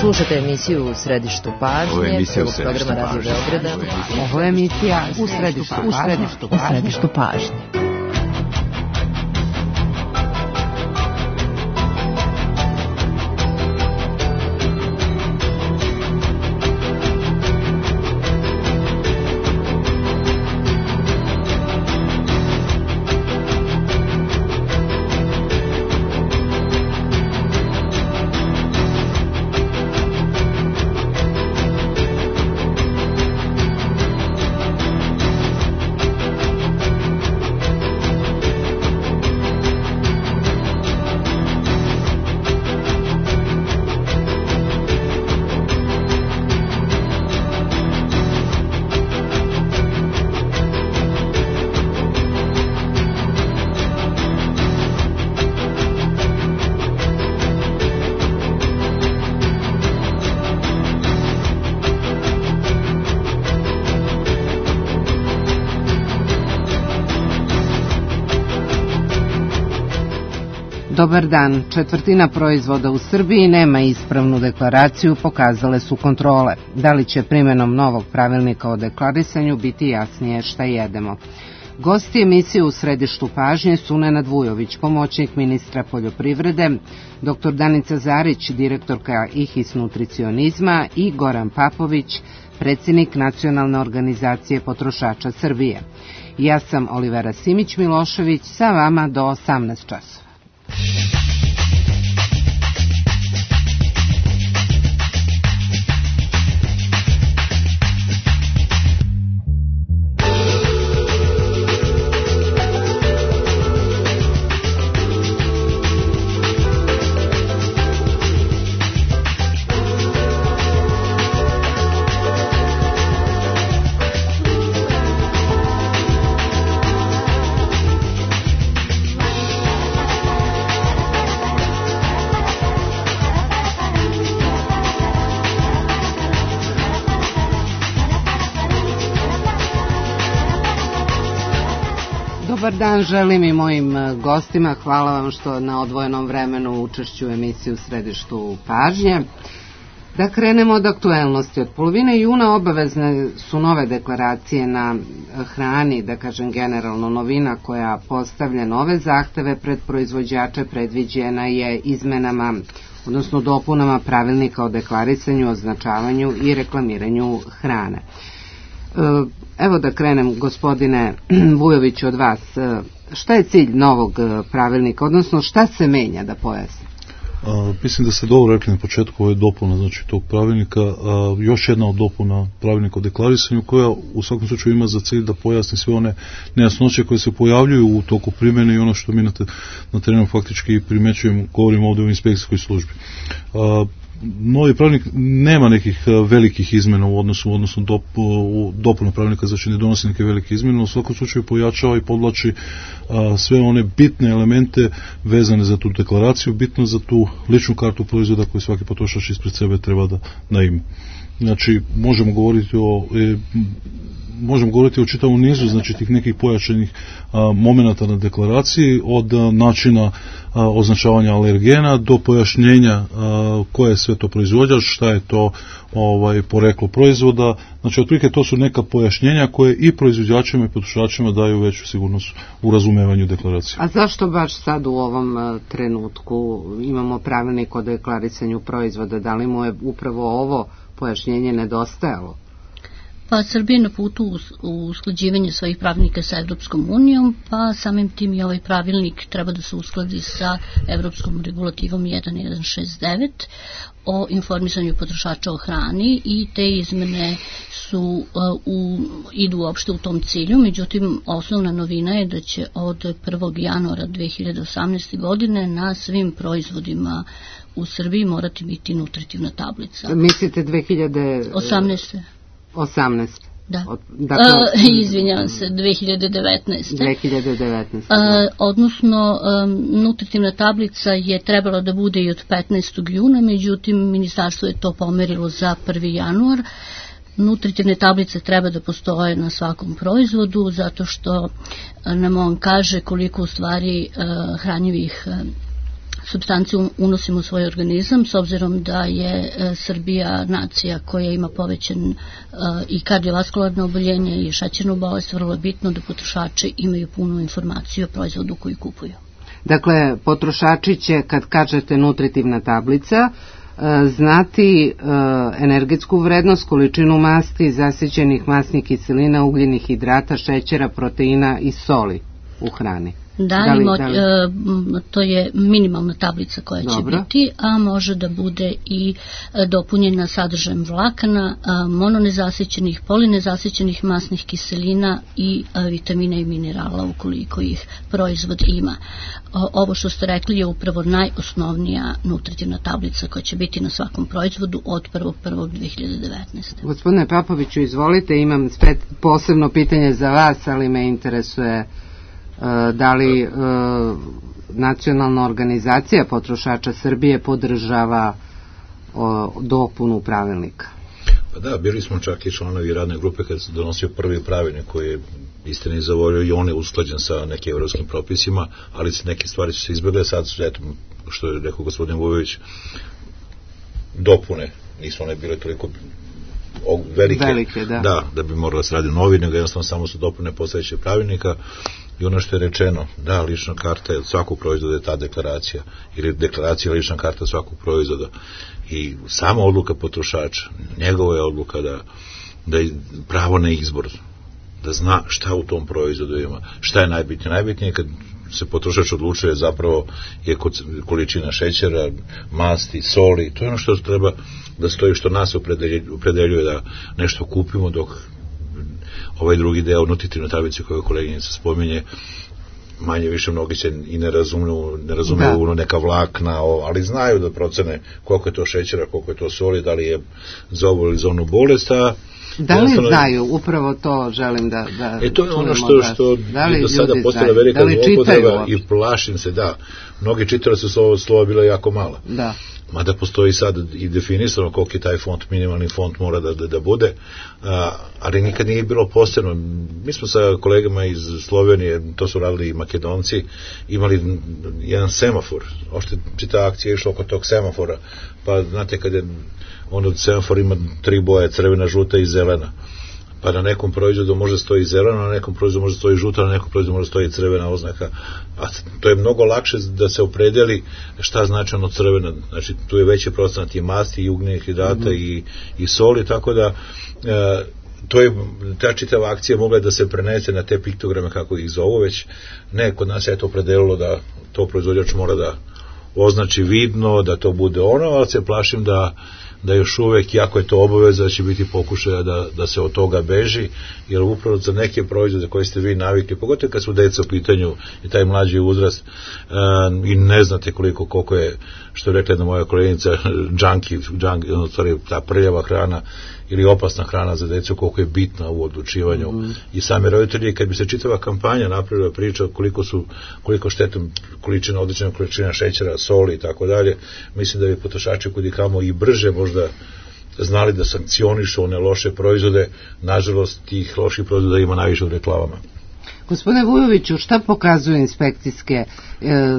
Slušate emisiju U središtu pažnje, prvog programa Radio Beograda. Ovo je emisija U središtu pažnje. Dobar dan. Četvrtina proizvoda u Srbiji nema ispravnu deklaraciju, pokazale su kontrole. Da li će primjenom novog pravilnika o deklarisanju biti jasnije šta jedemo? Gosti emisije U središtu pažnje su Nenad Vujović, pomoćnik ministra poljoprivrede, dr. Danica Zarić, direktorka IHIS nutricionizma i Goran Papović, predsjednik Nacionalne organizacije potrošača Srbije. Ja sam Olivera Simić-Milošević, sa vama do 18 časova. Dobar dan želim i mojim gostima. Hvala vam što na odvojenom vremenu učešću u emisiji U središtu pažnje. Da krenemo od aktuelnosti. Od polovine juna obavezne su nove deklaracije na hrani, da kažem generalno novina koja postavlja nove zahteve pred proizvođače, predviđena je izmenama, odnosno dopunama pravilnika o deklarisanju, označavanju i reklamiranju hrane. Evo da krenem, gospodine Vujović, od vas. Šta je cilj novog pravilnika, odnosno šta se menja, da pojasnim? Mislim da ste dobro rekli na početku, ovo je dopuna tog pravilnika, još jedna od dopuna pravilnika o deklarisanju koja u svakom slučaju ima za cilj da pojasni sve one nejasnoće koje se pojavljuju u toku primjene i ono što mi na terenu faktički primećujemo, govorimo ovdje u inspekcijskoj službi. Novi pravilnik nema nekih velikih izmjena u odnosu dopuna pravilnika, znači ne donosi neke velike izmjene, u svakom slučaju pojačava i podvlači sve one bitne elemente vezane za tu deklaraciju, bitno za tu ličnu kartu proizvoda koju svaki potrošač ispred sebe treba da ima. Znači, možemo govoriti o čitavom nizu, znači tih nekih pojačanih momenata na deklaraciji, od načina označavanja alergena do pojašnjenja koje je sve to proizvođač, šta je to poreklo proizvoda. Znači, otprilike to su neka pojašnjenja koje i proizvođačima i potrošačima daju veću sigurnost u razumevanju deklaracije. A zašto baš sad u ovom trenutku imamo pravilnik o deklarisanju proizvoda? Da li mu je upravo ovo pojašnjenje nedostajalo? Pa Srbija je na putu u usklađivanje svojih pravilnika sa Evropskom unijom, pa samim tim i ovaj pravilnik treba da se uskladi sa Evropskom regulativom 1169 o informisanju potrošača o hrani i te izmene idu uopšte u tom cilju. Međutim, osnovna novina je da će od 1. januara 2018. godine na svim proizvodima u Srbiji morati biti nutritivna tablica. Mislite 2018. 18. Da. Izvinjavam se, 2019. Odnosno, nutritivna tablica je trebala da bude i od 15. juna, međutim, ministarstvo je to pomerilo za 1. januar. Nutritivne tablice treba da postoje na svakom proizvodu, zato što nam on kaže koliko u stvari hranjivih supstanci unosimo u svoj organizam, s obzirom da je Srbija nacija koja ima povećan i kardiovaskularno oboljenje i šećernu bolest, vrlo je bitno da potrošači imaju punu informaciju o proizvodu koji kupuju. Dakle, potrošači će, kad kažete nutritivna tablica, znati energetsku vrednost, količinu masti, zasićenih masnih kiselina, ugljenih hidrata, šećera, proteina i soli u hrani. To je minimalna tablica koja će biti, a može da bude i dopunjena sadržajem vlakana, mononezasićenih, polinezasićenih masnih kiselina i vitamina i minerala ukoliko ih proizvod ima. Ovo što ste rekli je upravo najosnovnija nutritivna tablica koja će biti na svakom proizvodu od 1.1.2019. Gospodine Papoviću, izvolite, imam posebno pitanje za vas, ali me interesuje da li nacionalna organizacija potrošača Srbije podržava dopunu pravilnika? Pa da, bili smo čak i članovi radne grupe kad se donosio prvi pravilnik koji je istini zavolio i on je usklađen sa nekim evropskim propisima, ali neke stvari su se izbjegle, sad su, eto, što je rekao gospodin Vujović, dopune, nisu one bile toliko velike da bi moralo se raditi novi, nego jednostavno samo su dopune postojećeg pravilnika. I ono što je rečeno, da, lična karta je od svakog proizvoda je ta deklaracija, ili deklaracija lična karta svakog proizvoda. I sama odluka potrošača, njegova je odluka da je pravo na izbor, da zna šta u tom proizvodu ima, šta je najbitnije. Najbitnije je kad se potrošač odlučuje zapravo je količina šećera, masti, soli, to je ono što treba da stoji, što nas opredeljuje da nešto kupimo, dok ovaj drugi deo nutritivne tablice koju koleginica spominje, manje više mnogi se i ne razumiju neka vlakna, ali znaju da procene koliko je to šećera, koliko je to soli, da li je za ovu ili za onu bolest. Da li znaju? Upravo to želim da to je ono što je do sada postala velika zloupotreba i plašim se, da, mnogi čitali su slova bila jako mala. Da. Mada postoji sad i definisano koliko je taj font, minimalni font mora da bude, ali nikad nije bilo posebno. Mi smo sa kolegama iz Slovenije, to su radili i Makedonci, imali jedan semafor, ošte čita akcija išla oko tog semafora, pa znate kad je semafor ima 3 boje, crvena, žuta i zelena, pa na nekom proizvodu može stoji zelena, na nekom proizvodu može stoji žuta, na nekom proizvodu može stoji crvena oznaka, a to je mnogo lakše da se opredeli šta znači ono crvena, znači tu je veći procenat i masti i ugljenih hidrata i soli, tako da to je, ta čitava akcija mogla da se prenese na te piktograme kako ih zovu, već ne, kod nas je to opredelilo da to proizvođač mora da označi vidno, da to bude ono, ali se plašim da još uvek, jako je to obaveza, da će biti pokušaja da se od toga beži, jer upravo za neke proizvode koje ste vi navikli, pogotovo kad su deca u pitanju i taj mlađi uzrast, i ne znate koliko je, što je rekla jedna moja koleginica, ta prljava hrana ili opasna hrana za decu, koliko je bitna u odlučivanju. I sami roditelji, kad bi se čitava kampanja napravila priča koliko štetna količina, odlična količina šećera, soli i tako dalje, mislim da bi potrošači kudikamo i brže možda znali da sankcionišu one loše proizvode. Nažalost, tih loših proizvoda ima najviše u reklamama. Gospodine Vujoviću, šta pokazuju inspekcijske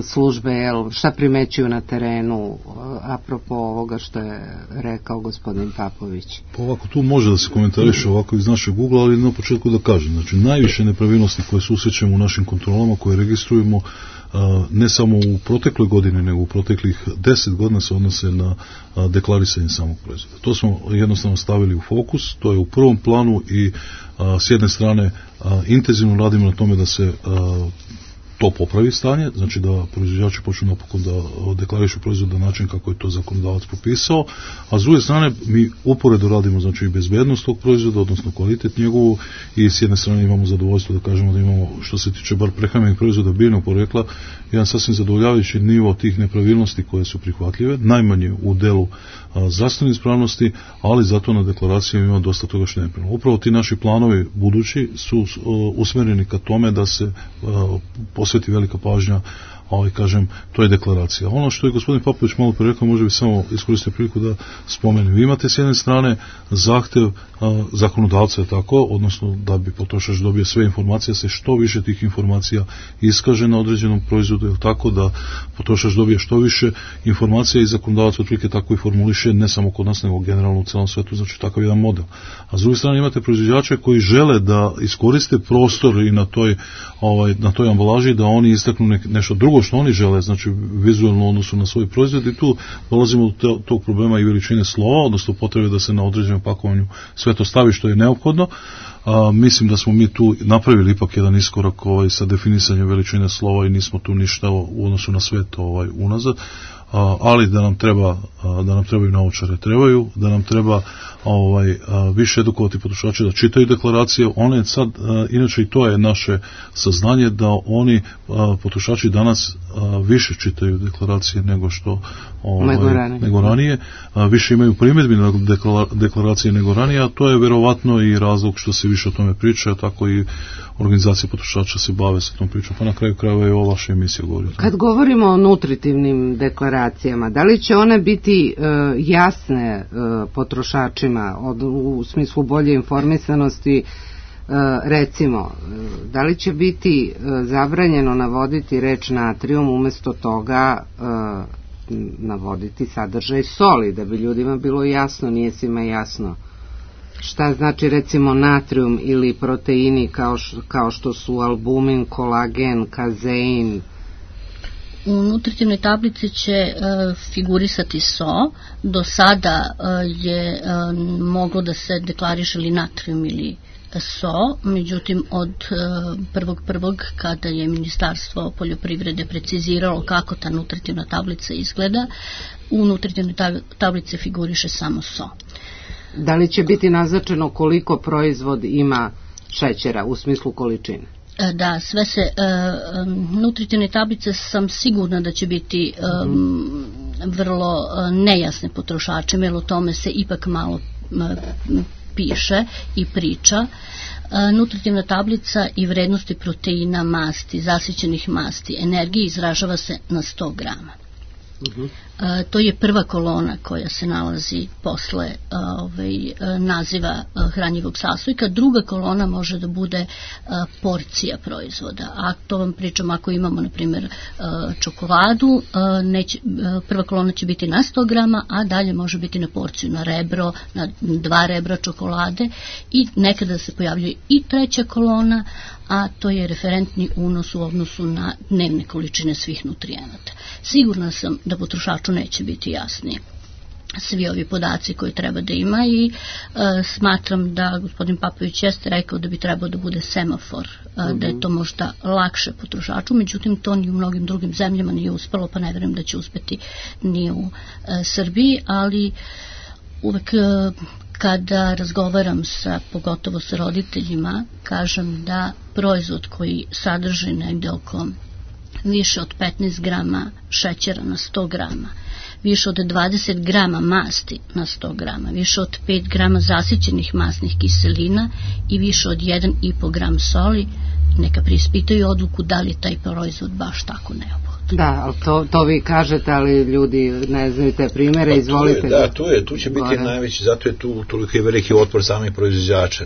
službe, šta primećuju na terenu, apropo ovoga što je rekao gospodin Papović? Pa ovako, tu može da se komentariše ovako iz našeg ugla, ali na početku da kažem, znači najviše nepravilnosti koje susrećemo u našim kontrolama, koje registrujemo, ne samo u protekloj godini, nego u proteklih 10 godina se odnose na deklarisanje samog proizvoda. To smo jednostavno stavili u fokus, to je u prvom planu i s jedne strane intenzivno radimo na tome da se to popravi stanje, znači da proizvođači počnu napokon da deklarišu proizvod na način kako je to zakonodavac propisao, a s druge strane mi uporedo radimo znači i bezbednost tog proizvoda, odnosno kvalitet njegovu, i s jedne strane imamo zadovoljstvo da kažemo da imamo, što se tiče bar prehrambenih proizvoda biljnog porekla, jedan sasvim zadovoljavajući nivo tih nepravilnosti koje su prihvatljive, najmanje u delu zdravstvene ispravnosti, ali zato na deklaraciji ima dosta toga što je nepravilno. Upravo ti naši planovi budući su usmereni ka tome da se posveti velika pažnja kažem, to je deklaracija. Ono što je gospodin Popović malo pre rekao, može bi samo iskoristiti priliku da spomenem. Vi imate s jedne strane zahtev zakonodavca, tako, odnosno da bi potrošač dobio sve informacije, se što više tih informacija iskaže na određenom proizvodu, tako da potrošač dobije što više informacija i zakonodavac otprilike tako i formuliše, ne samo kod nas, nego generalno u celom svetu, znači takav jedan model. A s druge strane imate proizvođače koji žele da iskoriste prostor i na toj ambalaži, da oni istaknu nešto drugo što oni žele, znači vizualno u odnosu na svoj proizvod, i tu dolazimo do tog problema i veličine slova, odnosno potrebe da se na određenom pakovanju sve to stavi što je neophodno. Mislim da smo mi tu napravili ipak jedan iskorak sa definisanjem veličine slova i nismo tu ništa u odnosu na sve to unazad, ali da nam trebaju naučare, trebaju, da nam treba više edukovati potrošače da čitaju deklaracije. One sad, inače i to je naše saznanje, da oni potrošači danas više čitaju deklaracije nego što nego ranije, više imaju primjedbi na deklaracije nego ranije, a to je verovatno i razlog što se više o tome priča, tako i organizacije potrošača se bave sa tom pričom, pa na kraju krajeva je ova vaša emisija govori. Kad govorimo o nutritivnim deklaracijama, da li će one biti jasne potrošačima u smislu bolje informisanosti, recimo, da li će biti zabranjeno navoditi reč natrijum, umesto toga navoditi sadržaj soli, da bi ljudima bilo jasno, nije svima jasno šta znači recimo natrijum ili proteini kao što su albumin, kolagen, kazein. U nutritivnoj tablici će figurisati so. Do sada je moglo da se deklariše ili natrijum ili so, međutim od 1.1. kada je Ministarstvo poljoprivrede preciziralo kako ta nutritivna tablica izgleda, u nutritivnoj tablici figuriše samo so. Da li će biti naznačeno koliko proizvod ima šećera u smislu količine? Da, sve se nutritivne tablice sam sigurna da će biti vrlo nejasne potrošačima, jer o tome se ipak malo piše i priča. Nutritivna tablica i vrednosti proteina, masti, zasićenih masti, energije izražava se na 100 grama. To je prva kolona koja se nalazi posle naziva hranjivog sastojka. Druga kolona može da bude porcija proizvoda. A to vam pričam ako imamo, na primjer, čokoladu, prva kolona će biti na 100 grama, a dalje može biti na porciju, na rebro, na 2 rebra čokolade, i nekada se pojavljuje i treća kolona, a to je referentni unos u odnosu na dnevne količine svih nutrijenata. Sigurna sam da potrošaču neće biti jasni svi ovi podaci koje treba da ima, i smatram da gospodin Papović jeste rekao da bi trebao da bude semafor, da je to možda lakše potrošaču, međutim to ni u mnogim drugim zemljama nije uspelo, pa ne vjerujem da će uspeti ni u Srbiji, ali uvek kada razgovaram pogotovo sa roditeljima, kažem da proizvod koji sadrži negde oko više od 15 grama šećera na 100 grama, više od 20 grama masti na 100 grama, više od 5 grama zasićenih masnih kiselina i više od 1,5 gram soli, neka preispitaju odluku da li je taj proizvod baš tako neophodan. Da, ali to vi kažete, ali ljudi ne znaju te primere, izvolite. Tu će biti najveći, zato je tu toliko i veliki otpor samih proizvođača.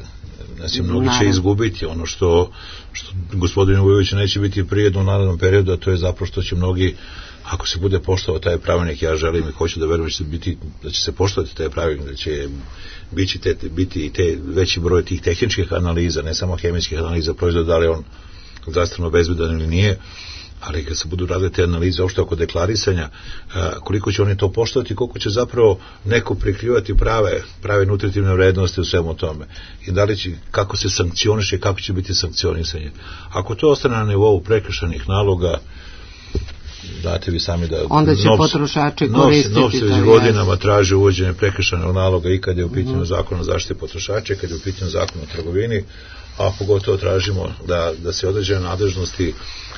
Znači, mnogi će izgubiti ono što gospodinu Vujoviću neće biti prijedno u narednom periodu, a to je zapravo što će mnogi, ako se bude poštovao taj pravilnik, ja želim i hoću da verujem da će se poštovati taj pravilnik, da će biti te veći broj tih tehničkih analiza, ne samo hemijskih analiza proizvoda, da li on zdravstveno bezbedan ili nije, ali kad se budu radile te analize uopšte oko deklarisanja, koliko će oni to poštovati, koliko će zapravo neko prikrivati prave nutritivne vrednosti u svemu tome, i da li će, kako se sankcioniše, kako će biti sankcionisanje. Ako to ostane na nivou prekršajnih naloga, znate vi sami da onda će potrošači koristiti. Novci već godinama traže uvođenje prekršajnog naloga i kad je u pitanju zakon o zaštiti potrošača, kad je u pitanju zakon o trgovini, a pogotovo tražimo da se određene nadležnosti,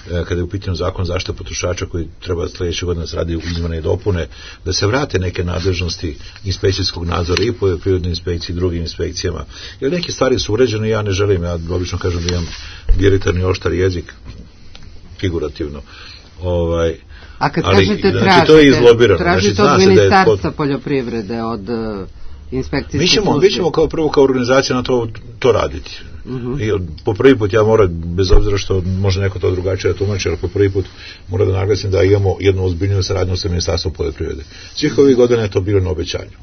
kada je u pitanju zakon zaštite potrošača koji treba sljedeće godine se radi u izmene i dopune, da se vrate neke nadležnosti inspekcijskog nadzora i poljoprivredne inspekcije i drugim inspekcijama. Jer neke stvari su uređene, ja ne želim, ja obično kažem da imam diritarni oštar jezik, figurativno, A kad kažete tražite od Ministarstva poljoprivrede, od inspekcijske službe? Mi ćemo kao organizacija na to raditi. I po prvi put ja moram, bez obzira što može neko to drugačije da tumači, ali po prvi put moram da naglasim da imamo jednu ozbiljniju saradnju sa Ministarstvom poljoprivrede. Svih ovih godina je to bilo na obećanju.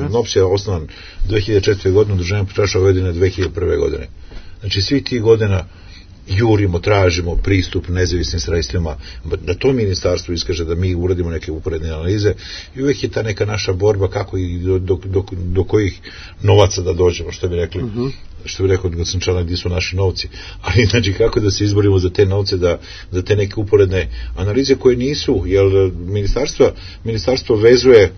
NOPS je osnovan 2004. godine, udruženje potrošača uvedene 2001. godine. Znači svih tih godina jurimo, tražimo pristup nezavisnim sredstvima, da to ministarstvo iskaže da mi uradimo neke uporedne analize i uvek je ta neka naša borba kako i do kojih novaca da dođemo, što bi rekao Gocančanak, gdje su naši novci, ali znači kako da se izborimo za te novce, za te neke uporedne analize koje nisu, jer ministarstvo vezuje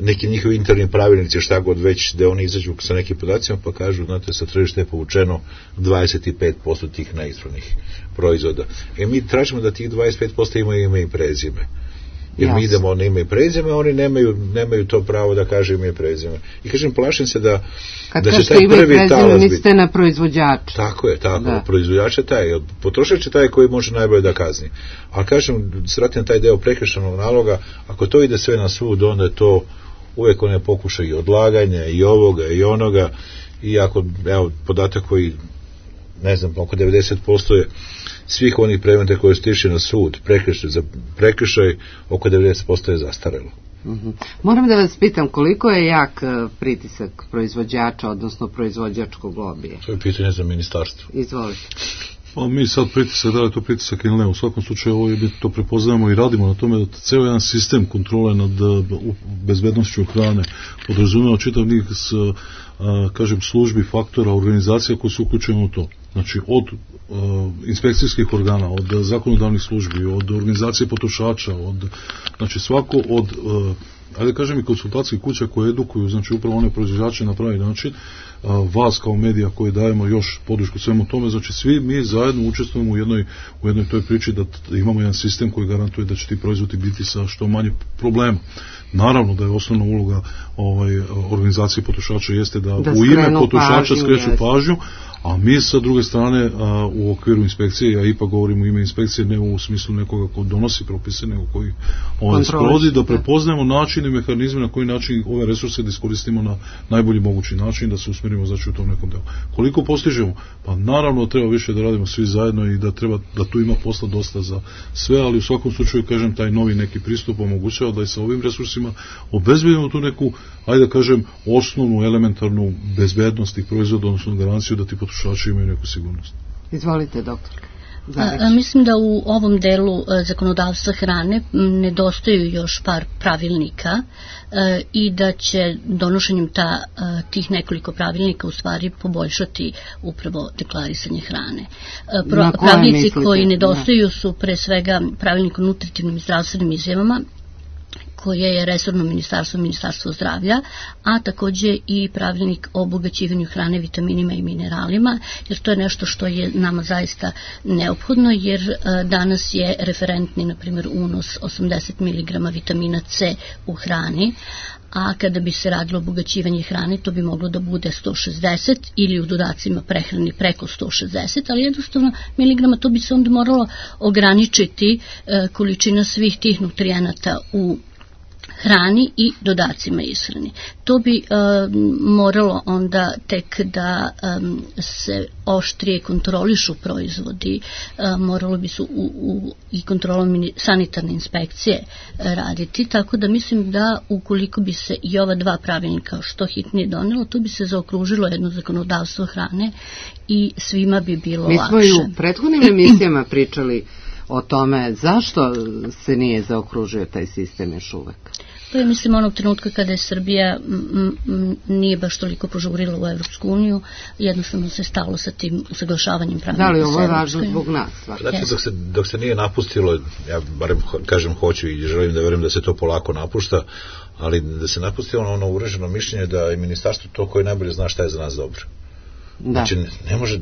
neki njihovi interni pravilnici, šta god već, da oni izađu sa nekim podacima pa kažu, znate, sa tržišta je povučeno 25% tih neispravnih proizvoda. Mi tražimo da tih 25% imaju ime i prezime. Jer mi idemo na ime i prezime, oni nemaju to pravo da kaže ime i prezime. I kažem, plašim se da će taj prvi talas biti. Mislite na proizvođača. Tako je, proizvođač je taj, potrošač je taj koji može najbolje da kazni. Ali kažem, sratim taj deo prekršajnog naloga, ako to ide sve na sud, onda je to uvek one pokušaju i odlaganja i ovoga i onoga, i ako, evo, podatak koji, ne znam, oko 90% je svih onih predmeta koje su tišli na sud, prekršaj, oko 90% je zastarelo. Moram da vas pitam, koliko je jak pritisak proizvođača, odnosno proizvođačkog lobija? To je pitanje za ministarstvo. Izvolite. Pa mi sad pritisak, da li je to pritisak ili ne, u svakom slučaju ovo je, to prepoznajemo i radimo na tome da ceo jedan sistem kontrole nad bezbednošću hrane podrazumeva čitav niz, kažem, službi, faktora, organizacija koji su uključene u to. Znači, od inspekcijskih organa, od zakonodavnih službi, od organizacije potrošača, znači svako od, ajde kažem, i konsultacijskih kuća koje edukuju, znači upravo one proizvođače na pravi način, vas kao medija koji dajemo još podršku svemu tome, znači svi mi zajedno učestvujemo u jednoj toj priči da imamo jedan sistem koji garantuje da će ti proizvodi biti sa što manje problema. Naravno da je osnovna uloga organizacije potrošača jeste da u ime potrošača skreću pažnju, a mi sa druge strane u okviru inspekcije, ja ipak govorim u ime inspekcije, ne u smislu nekoga ko donosi propise, nego koji sprovodi, da prepoznajemo način i mehanizme na koji način ove resurse da iskoristimo na najbolji mogući način, da se usmerimo znači u tom nekom delu. Koliko postižemo? Pa naravno treba više da radimo svi zajedno i da tu ima posla dosta za sve, ali u svakom slučaju, kažem, taj novi neki pristup omogućava da i sa ovim resursima obezbedimo tu neku, ajde da kažem, osnovnu elementarnu bezbednost tih proizvoda, odnosno garanciju da ti potrošači imaju neku sigurnost. Izvolite, doktor. Mislim da u ovom delu zakonodavstva hrane nedostaju još par pravilnika i da će donošenjem tih nekoliko pravilnika u stvari poboljšati upravo deklarisanje hrane. Pravilnici koji nedostaju su pre svega pravilnik o nutritivnim i zdravstvenim izjavama, koje je resorno ministarstvo zdravlja, a takođe i pravilnik o obogaćivanju hrane vitaminima i mineralima, jer to je nešto što je nama zaista neophodno, jer danas je referentni, na primjer, unos 80 mg vitamina C u hrani, a kada bi se radilo obogaćivanje hrane, to bi moglo da bude 160 ili u dodacima prehrani preko 160, ali jednostavno miligrama, to bi se onda moralo ograničiti količina svih tih nutrijenata u hrani i dodacima ishrani. To bi moralo onda tek da se oštrije kontrolišu proizvodi, moralo bi se i kontrolom sanitarne inspekcije raditi, tako da mislim da ukoliko bi se i ova dva pravilnika što hitnije donelo, to bi se zaokružilo jedno zakonodavstvo hrane i svima bi bilo lakše. Mi smo i u prethodnim emisijama pričali o tome zašto se nije zaokružio taj sistem još uvek. To je, mislim, onog trenutka kada je Srbija nije baš toliko požurila u Evropsku uniju, jednostavno se stalo sa tim usaglašavanjem pravilnika. Da li ovo je važno zbog nas? Dok se nije napustilo, ja barem kažem hoću i želim da verujem da se to polako napušta, ali da se napustilo ono uvreženo mišljenje da je ministarstvo to koje najbolje zna šta je za nas dobro. Znači, ne može...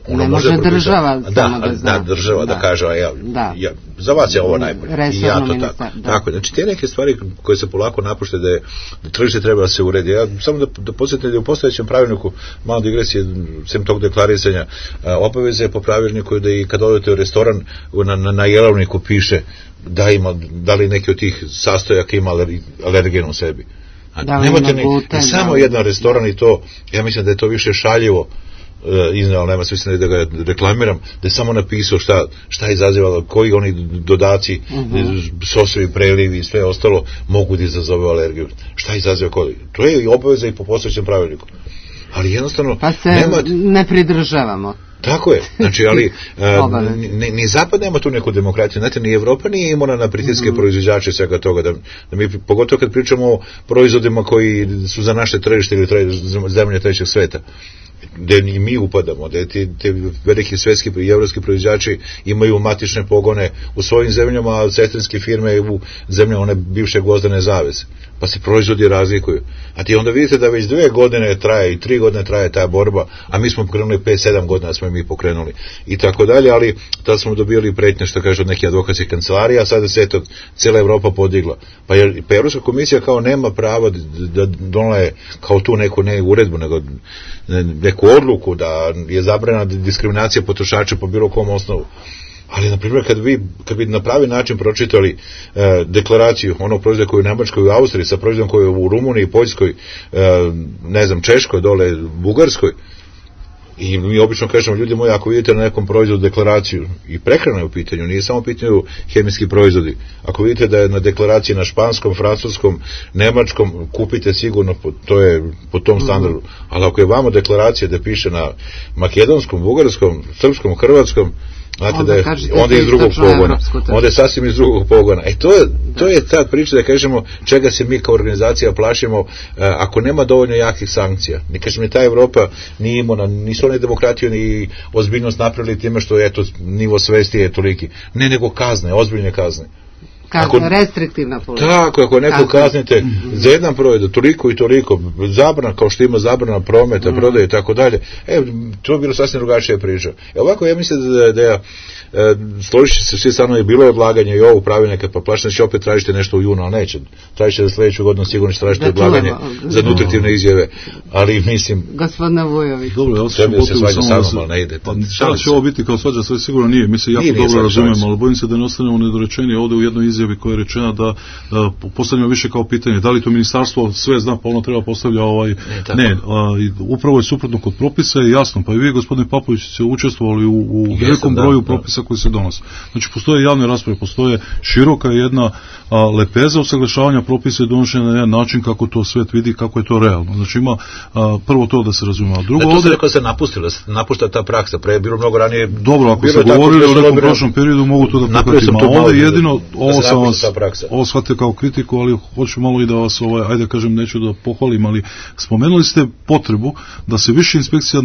Ne može država samo da zna. Država da kaže, za vas je ovo najbolje. I ja to tako. Tako, znači, te neke stvari koje se polako napuštaju da tržište treba da se uredi. Ja samo da podsjetim da u postojećem pravilniku, malo digresije, sem tog deklarisanja, obaveze po pravilniku da i kad odete u restoran, na jelovniku piše da li neki od tih sastojaka ima alergen u sebi. Nemate ni samo jedan restoran i to, ja mislim da je to više šaljivo iznao, nema smisla da ga reklamiram, da je samo napisao šta je izazivalo, koji oni dodaci, sosovi, prelivi i sve ostalo mogu da izazove alergiju. Šta izaziva kod? To je i obaveza i po postojećem pravilniku. Ali jednostavno... Pa se ne pridržavamo. Tako je, znači, ali ni Zapad nema tu neku demokratiju, znate, ni Evropa nije imuna na pritiske proizvođače svega toga, da mi, pogotovo kad pričamo o proizvodima koji su za naše tržište ili zemlje trećeg sveta, gde i mi upadamo, gde te veliki svetski i evropski proizvođači imaju matične pogone u svojim zemljama, a sestrinske firme u zemljama one bivše gvozdene zaveze, pa se proizvodi razlikuju. A ti onda vidite da već 2 godine traje i 3 godine traje ta borba, a mi smo pokrenuli 5-7 godina smo mi pokrenuli i tako dalje, ali tada smo dobili pretnje, što kaže, od neke advokatske kancelarije, a sada se cijela Evropa podigla. Pa Evropska komisija kao nema pravo da donele kao tu neku ne uredbu, nego neku odluku da je zabranjena diskriminacija potrošača po bilo kom osnovu. Ali, na primjer, kad bi na pravi način pročitali deklaraciju onog proizvoda koji je u Nemačkoj i u Austriji sa proizvodom koji je u Rumuniji, Poljskoj, ne znam, Češkoj, dole, Bugarskoj, i mi obično kažemo, ljudi moji, ako vidite na nekom proizvodu deklaraciju, i prehrana je u pitanju, nije samo u pitanju hemijski proizvodi, ako vidite da je na deklaraciji na španskom, francuskom, nemačkom, kupite sigurno, to je po tom standardu, ali ako je vamo deklaracija da piše na makedonskom, bugarskom, srpskom, hrvatskom, znate da je onda iz drugog pogona, onda je sasvim iz drugog pogona. To je ta priča da kažemo čega se mi kao organizacija plašimo ako nema dovoljno jakih sankcija. Ne kažem, ta Evropa nije imuna, nisu one demokratiju ni ozbiljnost napravili time što nivo svesti je toliki. Ne, nego kazne, ozbiljne kazne. Restriktivna politika. Tako, ako neko kaznite za jedan proizvod, toliko i toliko, zabrana, kao što ima zabrana prometa, prodaje i tako dalje, to je bilo sasvim drugačija priča. Ovako, ja mislim da složit se svi stanovi, bilo je odlaganje i ovo pravilnika, pa plašno će opet tražiti nešto u junu, ali neće. Tražite da sljedeću godinu sigurno će tražiti odlaganje za nutritivne izjave, ali mislim... Gospodina Vujović. Dobro, ja se svađa sa mnom, ali ne ide. Šta će ovo biti kao svađa, sve sigurno nije. Mi se jako dobro razumijemo, ali bojim se da ne ostanemo nedorečeni ovdje u jednoj izjavi koja je rečena da postavljamo više kao pitanje da li to ministarstvo sve zna, pa ono treba postavlja upravo je suprotno kod propisa, je jasno, pa i vi, gospodine Papović, ste učestvovali u velikom broju propisa koji se donose. Znači, postoje javne rasprave, postoje široka jedna lepeza usaglašavanja propisa i donošenja na jedan način kako to svet vidi, kako je to realno. Znači, ima prvo to da se razumije. Drugo, to se rekao se napušta ta praksa, pre je bilo mnogo ranije. Dobro, ako se govorili o nekom prošlom periodu, mogu to da prihvatim. A ovdje jedino, ovo shvatite kao kritiku, ali hoću malo i da vas, ajde kažem, neću da pohvalim, ali spomenuli ste potrebu da se više inspekcija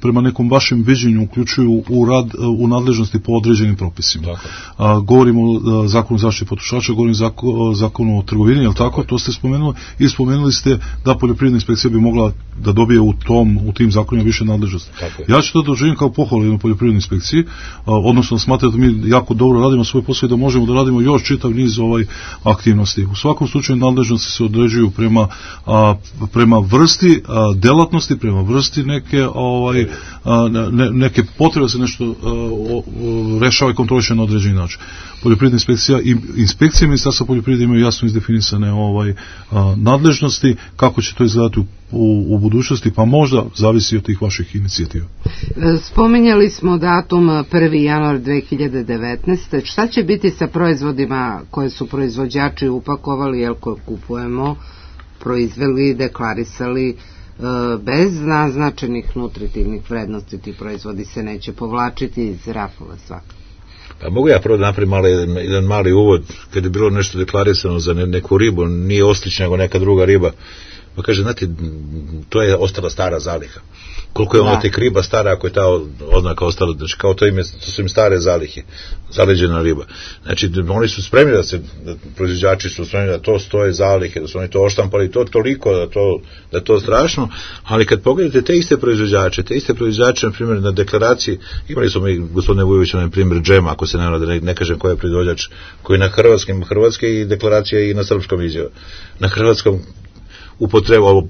prema nekom vašem viđenju uključuju u rad, u nadležnosti po određenim propisima. Govorimo o zakonu zaštite potrošača, govorimo o zakonu o trgovini, je li tako? To ste spomenuli i spomenuli ste da poljoprivredna inspekcija bi mogla da dobije u tim zakonima više nadležnosti. Ja ću to doživim kao pohvalu na poljoprivrednoj inspekciji, odnosno smatram da mi jako dobro radimo svoj posao i da možemo da radimo još čitav niz aktivnosti. U svakom slučaju nadležnosti se određuju prema vrsti delatnosti, prema vrsti neke potrebe da se nešto rešava i kontroliše na određeni način. Poljoprivredna inspekcija i inspekcije Ministarstva poljoprivrede imaju jasno izdefinisane nadležnosti, kako će to izgledati u budućnosti, pa možda zavisi od tih vaših inicijativa. Spominjali smo datum 1. januar 2019. Šta će biti sa proizvodima koje su proizvođači upakovali, jer koje kupujemo, proizveli, deklarisali, bez naznačenih nutritivnih vrednosti, ti proizvodi se neće povlačiti iz rafova svakako? Pa mogu ja prvo da napravim jedan mali uvod, kad je bilo nešto deklarisano za neku ribu, nije oslić nego neka druga riba, pa kaže, znate, to je ostala stara zaliha. Koliko je ona tek riba stara, ako je ta oznaka ostala, znači kao to su im stare zalihe, zaleđena riba. Znači, oni su spremni proizvođači su spremni da to stoje zalihe, da su oni to oštampali, to toliko, da to strašno, ali kad pogledate te iste proizvođače, na primjer, na deklaraciji, imali smo mi, gospodine Vujoviću, na primjer, džema, ako se ne kažem ko je proizvođač, koji na hrvatske i deklaracija i na srpskom izjava. Na hrvatskom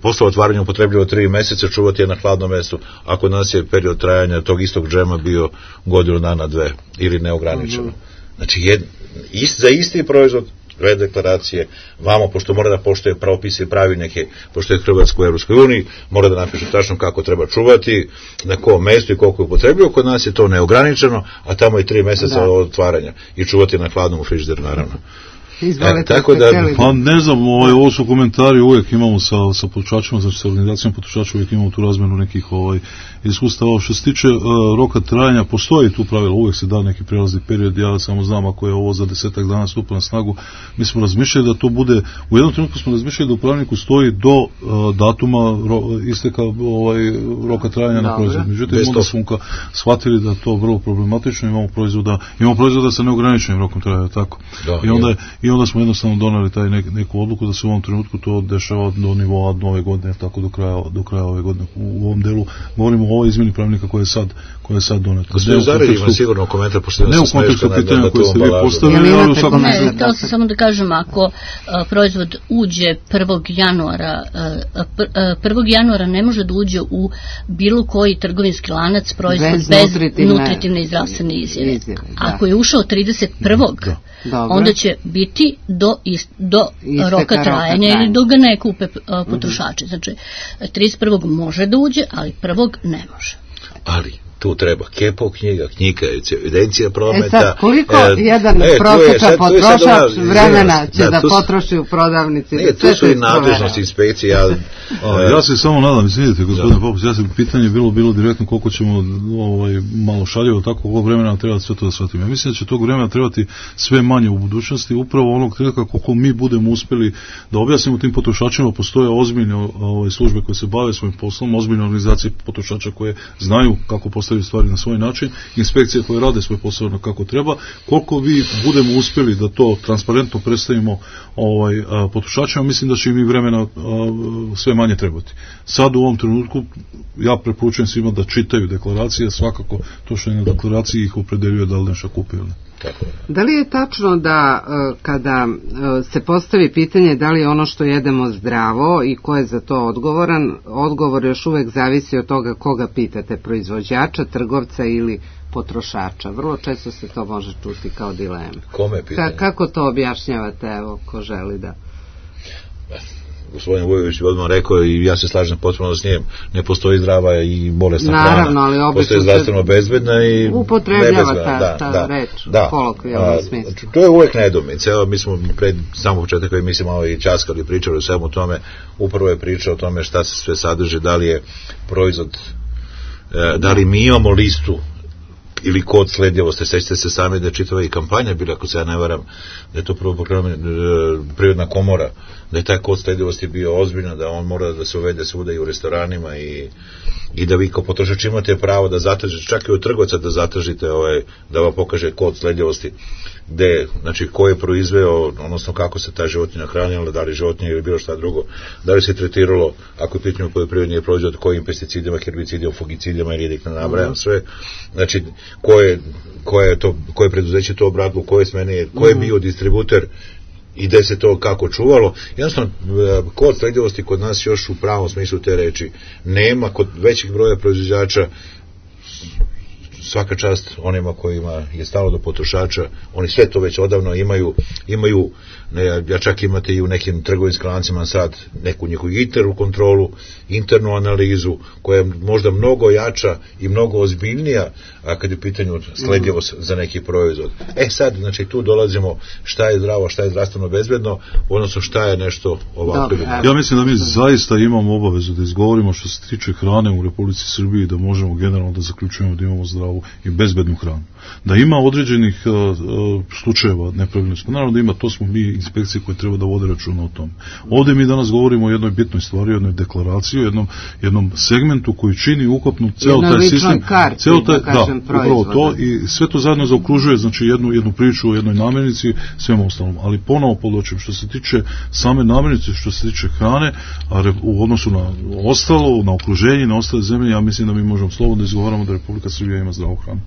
posle otvaranja upotrebljivo 3 meseca, čuvati je na hladnom mestu, ako nas je period trajanja tog istog džema bio godinu dana, 2 ili neograničeno. Znači, za isti proizvod, dve deklaracije, vamo, pošto mora da poštuje propise i pravilnike, pošto je Hrvatska u Evropskoj uniji, mora da napiše tačno kako treba čuvati, na kom mestu i koliko je upotrebljivo, kod nas je to neograničeno, a tamo je 3 meseca od otvaranja i čuvati na hladnom u frižideru, naravno. Tako da, pa ne znam, ovo su komentari, uvijek imamo sa potrošačima, znači sa organizacijom potrošača, uvijek imamo tu razmenu nekih iskustava. Što se tiče roka trajanja, postoji tu pravilo, uvijek se da neki prelazni period, ja samo znam ako je ovo za 10 dana stupa na snagu, mi smo razmišljali da to bude, u jednom trenutku smo razmišljali da u pravilniku stoji do datuma isteka roka trajanja na proizvod. Međutim, onda smo shvatili da to vrlo problematično, imamo proizvoda sa neograničenim rokom trajanja, tako. I onda smo jednostavno donali taj neku odluku da se u ovom trenutku to dešava do nivoa nove godine, tako do kraja ove godine. U ovom delu govorimo o ovoj izmjeni pravilnika koja je sad doneta. Gospodin Zarić ima sigurno komentar, pošto ne u kontekstu pitanja koje ste vi postavili, ali u svakom slučaju. Ne, to sam samo da kažem, ako proizvod uđe 1. januara ne može da uđe u bilo koji trgovinski lanac proizvod bez nutritivne i zdravstvene izjave. Ako je ušao 31. onda će biti do roka trajanja ili do ga ne kupe potrošači. Znači, 31. može da uđe, ali 1. ne može. Ali tu treba kepo knjiga, evidencija prometa. Sad, koliko jedan prosječan potrošač vremena će da potroši u prodavnici? Ne, tu su i nadležnosti inspekcije. Ja se samo nadam, vidite, gospodine Popus, pitanje je bilo direktno koliko ćemo malo šaljivo, tako koliko vremena nam treba sve to da shvatimo. Ja mislim da će tog vremena trebati sve manje u budućnosti, upravo onog trenutka koliko mi budemo uspjeli da objasnimo tim potrošačima, postoje ozbiljne službe koje se bave svojim poslom, ozbiljne organizacije potrošača koje znaju kako postaviti stvari na svoj način, inspekcije koje rade svoj posao kako treba, koliko vi budemo uspjeli da to transparentno predstavimo potrošačima, mislim da će im i vremena sve manje trebati. Sad u ovom trenutku ja preporučujem svima da čitaju deklaracije, svakako to što je na deklaraciji ih opredeljuje da li nešto kupe ili ne. Da li je tačno da kada se postavi pitanje da li je ono što jedemo zdravo i ko je za to odgovoran, odgovor još uvek zavisi od toga koga pitate, proizvođača, trgovca ili potrošača. Vrlo često se to može čuti kao dilema. Kome pitanje? Kako to objašnjavate, evo, ko želi da... Gospodin Vujović je odmah rekao i ja se slažem potpuno s njim, ne postoji zdrava i bolesna hrana, postoji zdravstveno bezbedna i upotrebljava ta reč u kolokvijalnom smislu. To je uvek nedoumica. Evo, mi smo pred samo početak koji mi se malo i časkali, pričali o svemu tome, upravo je pričao o tome šta se sve sadrži, da li je proizvod, da li mi imamo listu ili kod sledljivosti. Sećate se sami da je čitava i kampanja bila, ako se ja ne varam, da je to prvo pokrenula Privredna komora, da je taj kod sledljivosti bio ozbiljno, da on mora da se uvede svuda i u restoranima i da vi kao potrošač imate pravo da zatražite, čak i od trgovca da zatražite da vam pokaže kod sledljivosti gde, znači ko je proizveo, odnosno kako se ta životinja hranila, da li životinja ili bilo šta drugo, da li se tretiralo, ako je pitanje poljoprivredni proizvod, kojim pesticidima, herbicidima, fungicidima ili nek ne nabrajam sve, znači koje preduzeće to obradilo, koje smene, ko je bio distributer i gde se to kako čuvalo. Jednostavno, kod sledljivosti kod nas još u pravom smislu te reči nema, kod većih broja proizvođača. Svaka čast onima kojima je stalo do potrošača, oni sve to već odavno imaju ja čak imate i u nekim trgovinskim lancima sad neku njihovu internu kontrolu, internu analizu koja je možda mnogo jača i mnogo ozbiljnija, a kad je u pitanju sledljivost za neki proizvod. Sad, znači tu dolazimo šta je zdravo, šta je zdravstveno bezbedno, odnosno šta je nešto ovako. Ja mislim da mi zaista imamo obavezu da izgovorimo što se tiče hrane u Republici Srbiji, da možemo generalno da zaključujemo da imamo zdravu zdravu i bezbednu hranu. Da ima određenih slučajeva nepravilnosti, naravno da ima, to smo mi inspekcije koje treba da vode računa o tom. Ovdje mi danas govorimo o jednoj bitnoj stvari, o jednoj deklaraciji, o jednom segmentu koji čini ukupno ceo taj sistem, upravo to, i sve to zajedno zaokružuje, znači jednu priču o jednoj namirnici, svemu ostalom. Ali ponovo podločim, što se tiče same namirnice, što se tiče hrane, a u odnosu na ostalo, na okruženje, na ostale zemlje, ja mislim da mi možemo slobodno da izgovaramo da Republika Srbija ima zdravu hranu.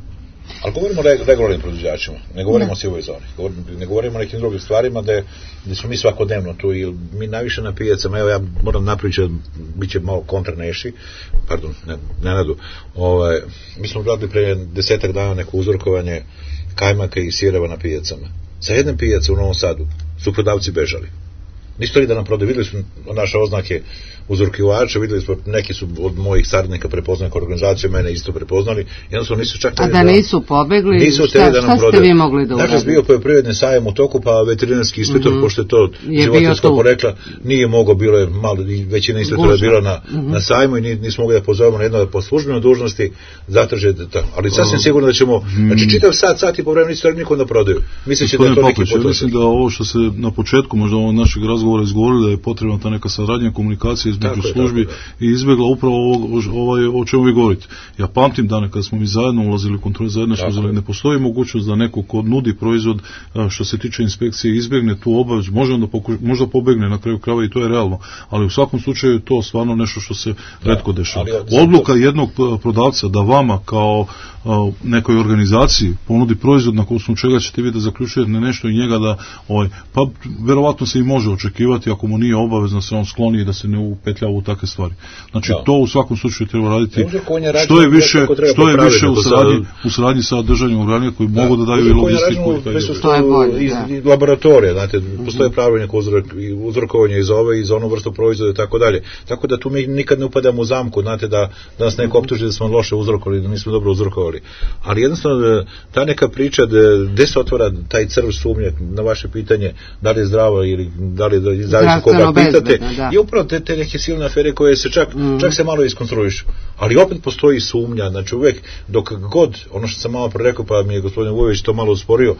Ali govorimo o regularnim proizvođačima, ne govorimo o sivoj zoni, ne govorimo o nekim drugim stvarima gde smo mi svakodnevno tu i mi najviše na pijacama, evo ja moram napričati, bit će malo kontraneši, pardon, Nenadu, mi smo radili pre 10 dana neko uzorkovanje kajmaka i sireva na pijacama. Sa jedne pijace u Novom Sadu su prodavci bežali. Nisu li da nam prodaju, videli su naše oznake uzorkivača, videli smo, neki su od mojih saradnika prepoznali kao organizaciju, mene isto prepoznali, jednostavno nisu čak... A da nisu pobegli, šta ste vi mogli da uraditi? Dakle, bio poljoprivredni sajam u toku, pa veterinarski inspektor, pošto je to životinjsko porekla, nije mogao, bilo je malo, većina inspektora je bila na sajmu i nismo mogli da pozovemo na jedno po službenoj dužnosti zatraže, ali sasvim sigurno da ćemo, znači čitav sat i po vremena nisu nikom da prodaju. Mislim da je to neki potrošak. Mislim da ovo što se na početku možda ovog našeg razgovora izgovorili, da je potrebna ta neka saradnja, komunikacija između službi i izbjegla upravo o čemu vi govorite. Ja pamtim dane kada smo mi zajedno ulazili u kontrolu, zajedno smo uzeli, ne postoji mogućnost da neko ko nudi proizvod što se tiče inspekcije izbjegne tu obavezu, možda pobegne na kraju krajeva i to je realno, ali u svakom slučaju je to stvarno nešto što se retko dešava. Odluka jednog prodavca da vama kao nekoj organizaciji ponudi proizvod na osnovu čega ćete vi da zaključujete nešto i njega da, pa verovatno se i može očekivati ako mu nije obavezno se on skloni i da se ne upetljava u takve stvari. Znači to u svakom slučaju treba raditi što je više u saradnji sa državnim organima koji mogu da daju i logistiku i laboratorije, znate, postoje pravilnik uzorkovanja iz onu vrstu proizvoda i tako dalje. Tako da tu mi nikad ne upadamo u zamku, znate, da nas neko optuži da smo loše uzorkovali, da nismo dobro uzorkovali. Ali jednostavno ta neka priča gde se otvara taj crv sumnje na vaše pitanje da li je zdravo ili da li je zavisi koga pitate, i upravo te neke silne afere koje se čak se malo iskonstruišu. Ali opet postoji sumnja, znači uvek dok god, ono što sam malo prerekao, pa mi je gospodin Vujović to malo usporio,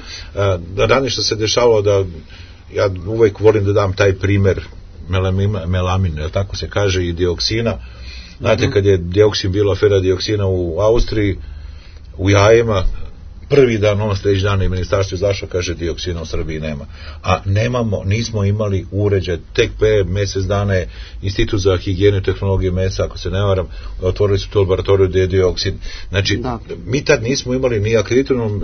da ranije što se dešavalo, da ja uvek volim da dam taj primer melamin, tako se kaže, i dioksina. Znate, kad je dioksin, bila afera dioksina u Austriji, u jajima, prvi dan, on sljedeći dan i ministarstvo izašlo, kaže dioksina u Srbiji nema. A nismo imali uređaj, tek pre mjesec dana je Institut za higijenu i tehnologiju mesa, ako se ne varam, otvorili su tu laboratoriju gdje je dioksin. Znači, mi tad nismo imali ni akreditovanu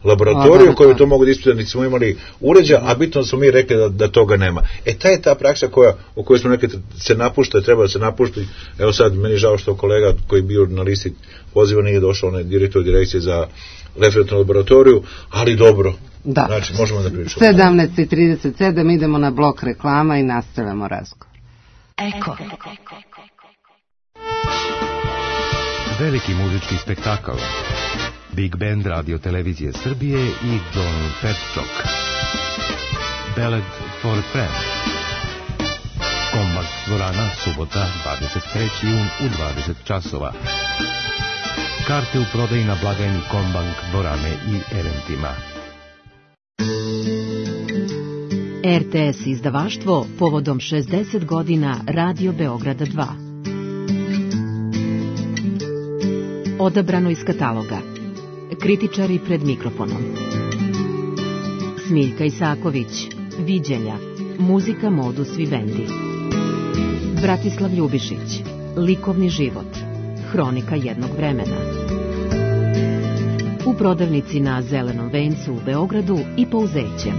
laboratoriju koju to mogu da ispitati, niti smo imali uređaj, a bitno smo mi rekli da toga nema. Ta je ta praksa o kojoj smo nekad se napušta, treba da se napušti. Evo sad, meni je žao što kolega koji je bio na listi poziva nije došao, on je direktor direkcije za referentnu laboratoriju, ali dobro. Da. Znači, možemo da pričamo. 17:37, idemo na blok reklama i nastavljamo razgovor. Eko. Veliki muzički spektakl. Big Band Radio Televizije Srbije i Don Petčok. Ballad for a Friend. Kombank dvorana, subota, 23. jun u 20 časova. Karte u prodaji na blagajni Kombank dvorane i eventima. RTS izdavaštvo povodom 60 godina Radio Beograda 2. Odabrano iz kataloga. Kritičari pred mikrofonom. Smiljka Isaković, Viđenja, muzika modus vivendi. Bratislav Ljubišić, likovni život, hronika jednog vremena. U prodavnici na Zelenom vencu u Beogradu i Pouzećem.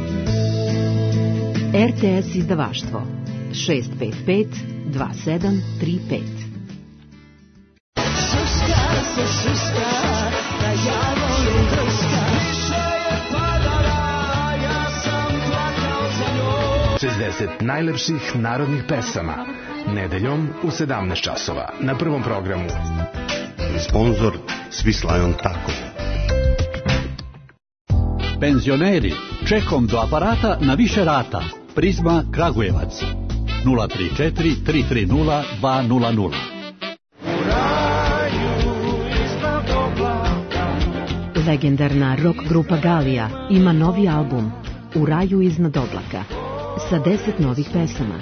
RTS izdavaštvo 655 2735. Najlepših narodnih pesama nedeljom u 17 časova na Prvom programu. Sponzor Swiss Lion Taco. Penzioneri, čekom do aparata na više rata. Prizma Kragujevac 034 330 200. Legendarna rock grupa Galija ima novi album U raju iznad oblaka sa 10 novih pesama.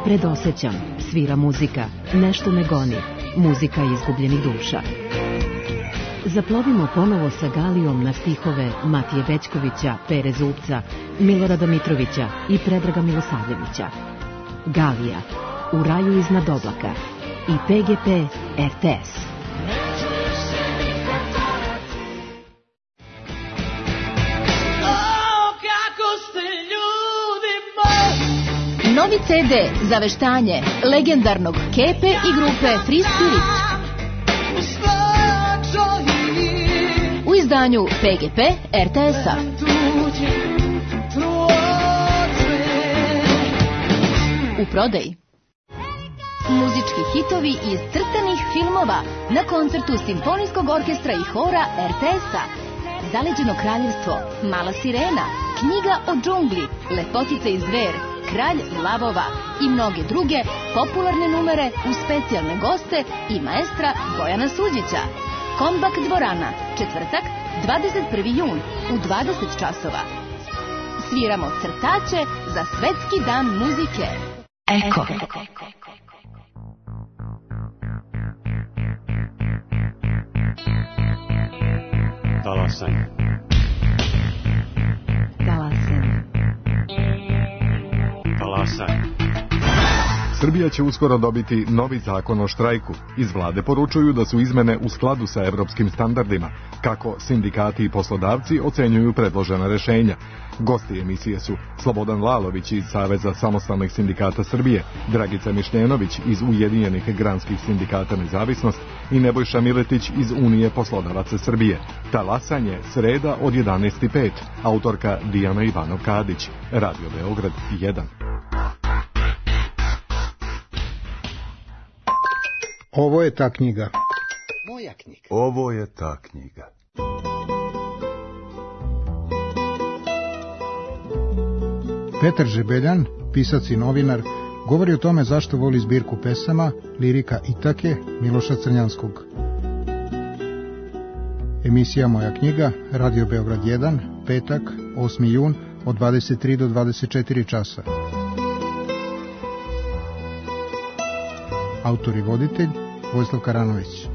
Predosećam, svira muzika, nešto me goni, muzika izgubljenih duša. Zaplovimo ponovo sa Galijom na stihove Matije Bećkovića, Pere Zupca, Milorada Mitrovića i Predraga Milosavljevića. Galija, U raju iznad oblaka i PGP RTS. Novi CD za veštanje legendarnog Kepe i grupe Free Spirit. U izdanju PGP RTS-a. U prodaji. Muzički hitovi iz crtanih filmova na koncertu Simfonijskog orkestra i hora RTS-a. Zaleđeno kraljevstvo, Mala sirena, Knjiga o džungli, Lepotica i zver, Kralj lavova i mnoge druge popularne numere uz specijalne goste i maestra Bojana Suđića. Kombak dvorana, četvrtak, 21. jun u 20 časova. Sviramo crtače za Svetski dan muzike. Eko. Talasaj. Srbija će uskoro dobiti novi zakon o štrajku. Iz vlade poručuju da su izmene u skladu sa evropskim standardima. Kako sindikati i poslodavci ocenjuju predložena rešenja. Gosti emisije su Slobodan Lalović iz Saveza samostalnih sindikata Srbije, Dragica Mišljenović iz Ujedinjenih granskih sindikata Nezavisnost i Nebojša Miletić iz Unije poslodavaca Srbije. Talasanje, sreda od 11:05. Autorka Dijana Ivanov-Kadić. Radio Beograd 1. Ovo je ta knjiga. Moja knjiga. Ovo je ta knjiga. Petar Žebeljan, pisac i novinar, govori o tome zašto voli zbirku pesama, lirika Itake, Miloša Crnjanskog. Emisija Moja knjiga, Radio Beograd 1, petak, 8. jun, od 23 do 24 časa. Autor i voditelj Vojislav Karanović.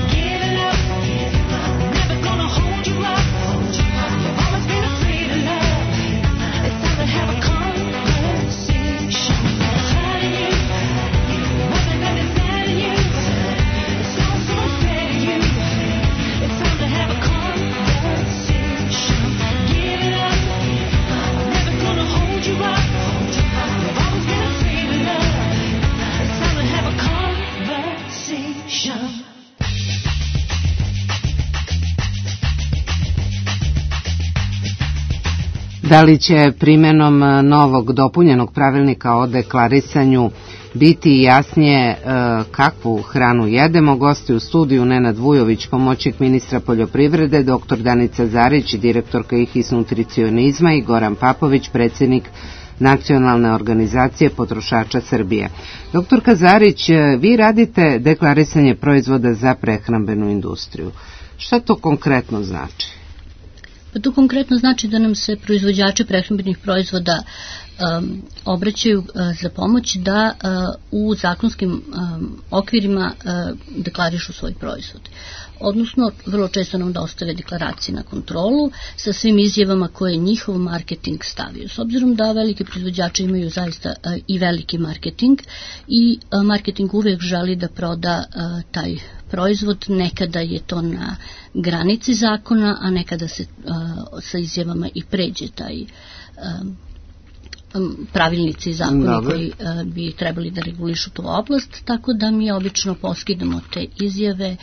Giving up Da li će primjenom novog dopunjenog pravilnika o deklarisanju biti jasnije kakvu hranu jedemo? Gosti u studiju Nenad Vujović, pomoćnik ministra poljoprivrede, dr. Danica Zarić, direktorka IHIS nutricionizma i Goran Papović, predsjednik Nacionalne organizacije potrošača Srbije. Doktorka Zarić, vi radite deklarisanje proizvoda za prehrambenu industriju. Šta to konkretno znači? Pa to konkretno znači da nam se proizvođači prehrambenih proizvoda obraćaju za pomoć da u zakonskim okvirima deklarišu svoj proizvod. Odnosno, vrlo često nam dostave deklaracije na kontrolu sa svim izjavama koje njihov marketing stavio. S obzirom da veliki proizvođači imaju zaista i veliki marketing i marketing uvijek želi da proda taj proizvod, nekada je to na granici zakona, a nekada se sa izjavama i pređe taj pravilnici i zakoni koji bi trebali da regulišu tu oblast, tako da mi obično poskidamo te izjave,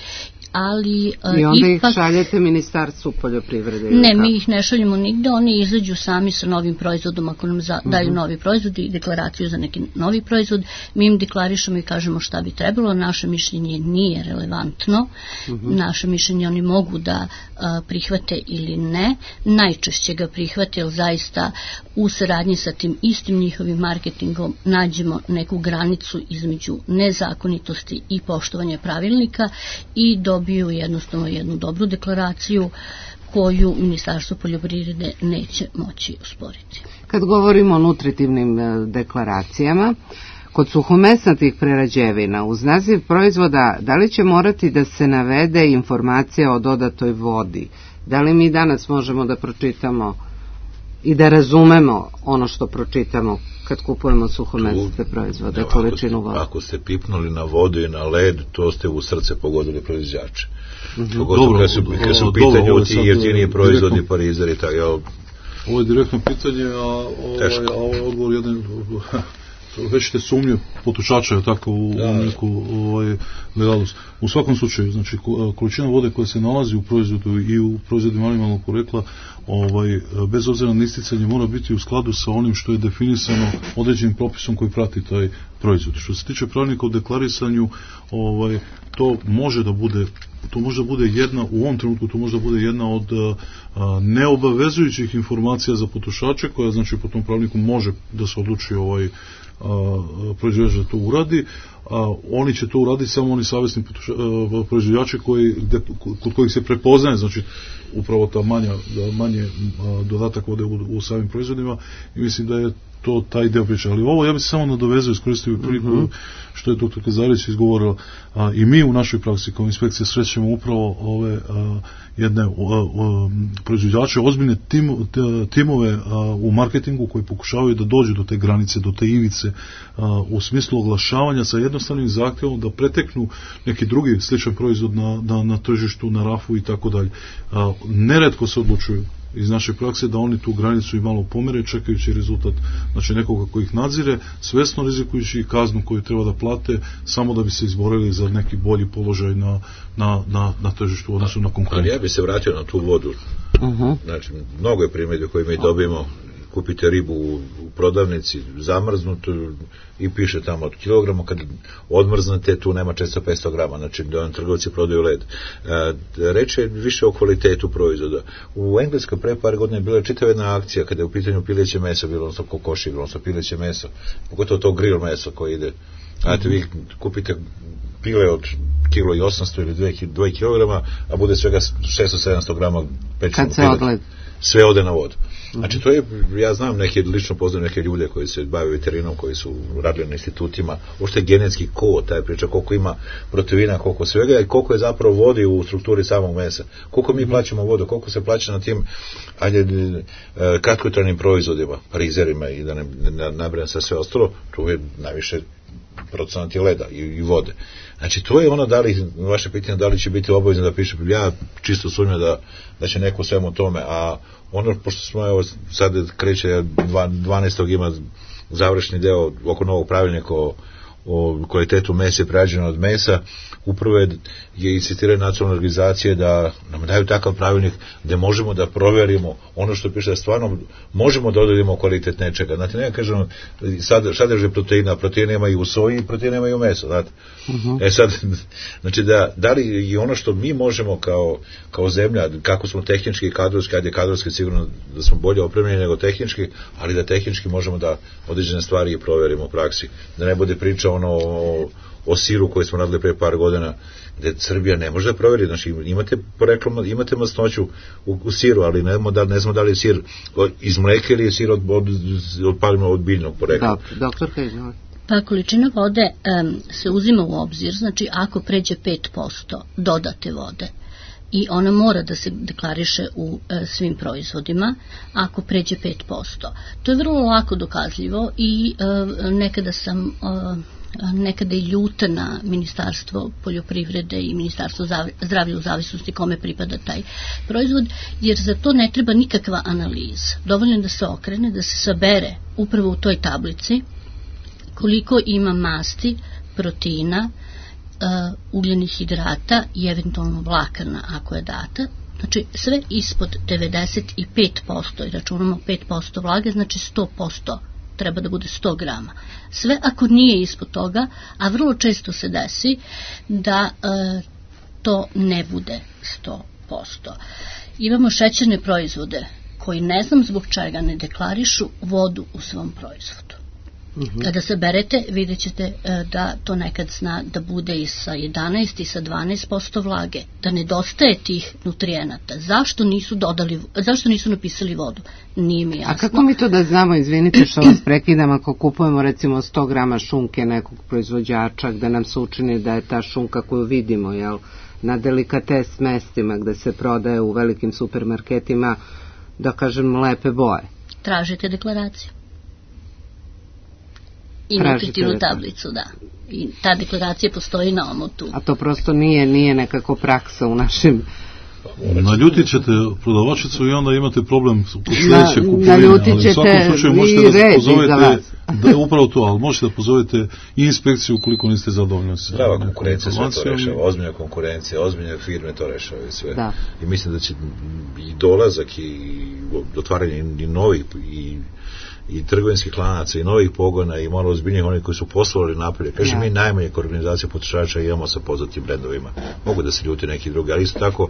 ali i onda ih šaljete Ministarstvu poljoprivrede? Ne, mi ih ne šaljemo nigde, oni izađu sami sa novim proizvodom, ako nam daju novi proizvod i deklaraciju za neki novi proizvod, mi im deklarišemo i kažemo šta bi trebalo. Naše mišljenje nije relevantno, naše mišljenje oni mogu da prihvate ili ne, najčešće ga prihvate, jer zaista u saradnji sa tim istim njihovim marketingom nađemo neku granicu između nezakonitosti i poštovanja pravilnika i dobiju jednostavno jednu dobru deklaraciju koju Ministarstvo poljoprivrede neće moći usporiti. Kad govorimo o nutritivnim deklaracijama, kod suhomesnatih prerađevina uz naziv proizvoda, da li će morati da se navede informacija o dodatoj vodi? Da li mi danas možemo da pročitamo i da razumemo ono što pročitamo kad kupujemo suhomesnate proizvode, količinu vode? Ako ste pipnuli na vodu i na led, to ste u srce pogodili proizvođače. Pogotovo kad su u pitanju ti jeftiniji proizvodi, parizeri, tako. Ovo je direktno pitanje, a odgovor jedan... Već te sumnje potrošača tako u neku legalnost. U svakom slučaju, znači količina vode koja se nalazi u proizvodu i u proizvodima animalnog porekla, bez obzira na isticanje, mora biti u skladu sa onim što je definisano određenim propisom koji prati taj proizvod. Što se tiče pravilnika o deklarisanju, to može da bude jedna, u ovom trenutku to može da bude jedna od neobavezujućih informacija za potrošače, koja znači po tom pravilniku može da se odluči proizvođač da to uradi. Oni će to uraditi samo oni savjesni proizvođači kod kojih se prepoznaje, znači upravo ta manje dodatak vode u samim proizvodima, i mislim da je to taj deo priče. Ali ovo ja bih se samo nadovezao, iskoristio priliku što je dr. Zarić izgovorila, i mi u našoj praksi kao inspekcija srećemo upravo ove jedne proizvođače, ozbiljne timove u marketingu koji pokušavaju da dođu do te granice, do te ivice u smislu oglašavanja sa jednostavnim zahtjevom da preteknu neki drugi sličan proizvod na tržištu, na rafu i tako dalje. Neretko se odlučuju iz naše prakse da oni tu granicu i malo pomere, čekajući rezultat, znači nekoga koji ih nadzire, svesno rizikujući kaznu koju treba da plate samo da bi se izborili za neki bolji položaj na tržištu u odnosu na konkurentu. Ali ja bi se vratio na tu vodu. Znači, mnogo je primjedbe koje mi dobijemo. Kupite ribu u prodavnici zamrznutu i piše tamo od kilograma, kad odmrznete tu nema često 500 grama, znači da trgovci prodaju led. Reč je više o kvalitetu proizvoda. U Engleskoj pre par godina je bila čitava jedna akcija kada je u pitanju pileće meso, bilo odnosno kokoši, odnosno pileće meso, pogotovo to grill meso koje ide. Znate, vi kupite pile od kilo i 800 ili 2 kilograma, a bude svega 600-700 grama pečenog pileta. Sve ode na vodu. Znači, to je, ja znam lično poznam neke ljude koji se bave veterinom, koji su radili na institutima, uopšte genetski kod, taj priča koliko ima proteina, koliko svega i koliko je zapravo vodi u strukturi samog mesa. Koliko mi plaćamo vodu, koliko se plaća na tim kratkotrajnim proizvodima, parizerima i da ne nabrajam sa sve ostalo, tu je najviše procenat leda i vode. Znači, to je ono, vaše pitanje, da li će biti obavezno da piše, ja čisto sumnjam da će neko svemu tome, a ono, pošto smo, evo, sad kreće 12. ima završni deo oko novog pravilnika o kvalitetu mesa i prerađeno od mesa, upravo je insistiraju nacionalne organizacije da nam daju takav pravilnik gde možemo da proverimo ono što piše, da stvarno možemo da odredimo kvalitet nečega. Znate, ne kažemo sadržaj proteina, proteina ima i u soji, proteina ima i u mesu, znate. Sad, znači da li i ono što mi možemo kao zemlja, kako smo tehnički i kadrovski, ajde kadrovski sigurno da smo bolje opremljeni nego tehnički, ali da tehnički možemo da određene stvari i proverimo u praksi. Da ne bude priča o siru koji smo radili pre par godina, gde Srbija ne može da proveri, znači imate masnoću u siru, ali ne znamo da li je sir iz mleka ili je sir od biljnog porekla. Doktorka, izvolite. Pa količina vode se uzima u obzir, znači ako pređe 5% dodate vode, i ona mora da se deklariše u svim proizvodima ako pređe 5%. To je vrlo lako dokazljivo i nekada i ljuta na Ministarstvo poljoprivrede i Ministarstvo zdravlja u zavisnosti kome pripada taj proizvod, jer za to ne treba nikakva analiza. Dovoljno da se okrene, da se sabere upravo u toj tablici koliko ima masti, proteina, ugljenih hidrata i eventualno vlakana ako je data. Znači sve ispod 95% i računamo 5% vlage, znači 100%. Treba da bude 100 grama. Sve ako nije ispod toga, a vrlo često se desi da to ne bude 100%. Imamo šećerne proizvode koji ne znam zbog čega ne deklarišu vodu u svom proizvodu. Kada se berete, vidjet ćete da to nekad zna da bude i sa 11 i sa 12% vlage, da nedostaje tih nutrijenata. Zašto nisu napisali vodu? Nije mi jasno. A kako mi to da znamo, izvinite što vas prekidam, ako kupujemo recimo 100 grama šunke nekog proizvođača, gde nam se učini da je ta šunka koju vidimo, na delikates mestima gde se prodaje u velikim supermarketima, da kažem, lepe boje? Tražite deklaraciju. I nutritivnu tablicu, da. I ta deklaracija postoji na omotu. A to prosto nije nekako praksa u našim... Naljutit ćete prodavačicu i onda imate problem kod sledeće kupovine. Naljutit ćete i red za vas. Upravo to, ali možete da pozovete i inspekciju ukoliko niste zadovoljni. Prava konkurencija sve to rešava, ozbiljna konkurencija, ozbiljne firme to rešavaju sve. I mislim da će i dolazak i otvaranje i novih i trgovinskih lanaca i novih pogona i malo ozbiljnijih onih koji su poslovali napolje. Kaže, mi najmanje organizacije potrošača imamo sa poznatim brendovima. Mogu da se ljuti neki drugi, ali isto tako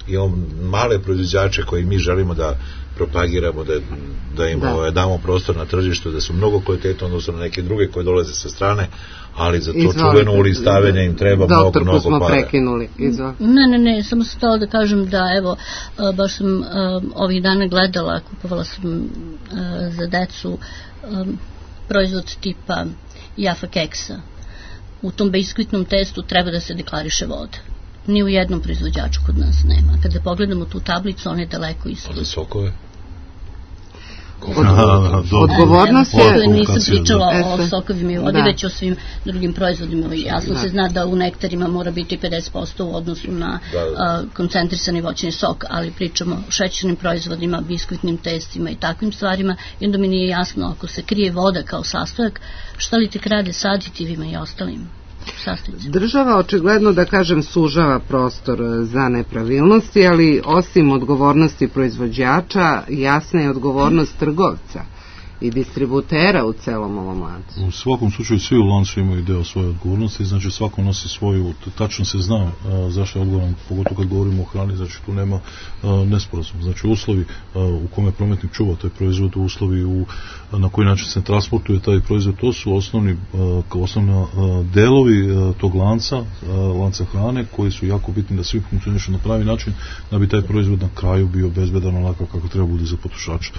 imamo male proizvođače koji mi želimo da propagiramo, da im damo prostor na tržištu, da su mnogo kvalitetno odnosno na neke druge koje dolaze sa strane, ali za to čuveno ulistavljanje im treba mnogo para. Doktorku smo prekinuli. Ne, samo sam htjela da kažem da, evo, baš sam ovih dana gledala, kupovala sam za decu proizvod tipa Jaffa keksa. U tom biskvitnom testu treba da se deklariše voda. Ni u jednom proizvođaču kod nas nema. Kada pogledamo tu tablicu, on je daleko ispod. A za sokove? Odgovornost je... Nisam pričala o sokovima i vodi, već o svim drugim proizvodima. Jasno se zna da u nektarima mora biti 50% u odnosu na koncentrisani voćni sok, ali pričamo o šećernim proizvodima, biskvitnim testima i takvim stvarima, i onda mi nije jasno, ako se krije voda kao sastojak, šta li tek rade sa aditivima i ostalim sastojcima? Država očigledno, da kažem, sužava prostor za nepravilnosti, ali osim odgovornosti proizvođača, jasna je odgovornost trgovca i distributera u celom ovom lancu. U svakom slučaju svi u lancu imaju deo svoje odgovornosti, znači svako nosi svoju, tačno se zna zašto je odgovoran, pogotovo kad govorimo o hrani, znači tu nema nesporazum. Znači uslovi u kome prometnik čuva taj proizvod, uslovi na koji način se transportuje taj proizvod, to su osnovni delovi tog lanca hrane, koji su jako bitni da svi funkcionišu na pravi način, da bi taj proizvod na kraju bio bezbedan onako kako treba bude za potrošača.